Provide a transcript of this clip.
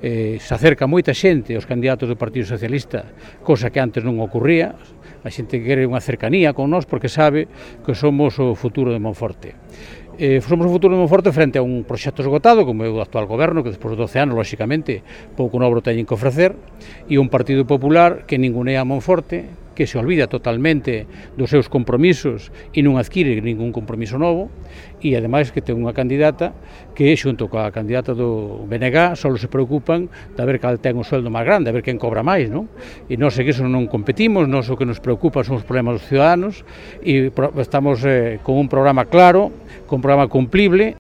se acerca moita xente aos candidatos do Partido Socialista, cosa que antes non ocurría. A xente quere unha cercanía con nós porque sabe que somos o futuro de Monforte. Somos o futuro de Monforte frente a un proxecto esgotado, como é o actual goberno, que despois de 12 anos, lóxicamente, pouco novo teñen que ofrecer, e un Partido Popular que ningunea a Monforte, que se olvida totalmente dos seus compromisos e non adquire ningún compromiso novo, e ademais que ten unha candidata que, xunto coa candidata do BNG, só se preocupan de ver cal ten o sueldo máis grande, a ver quen cobra máis, non? E nós que iso non competimos, nós o que nos preocupa son os problemas dos ciudadanos, e estamos con un programa claro, con un programa cumplible,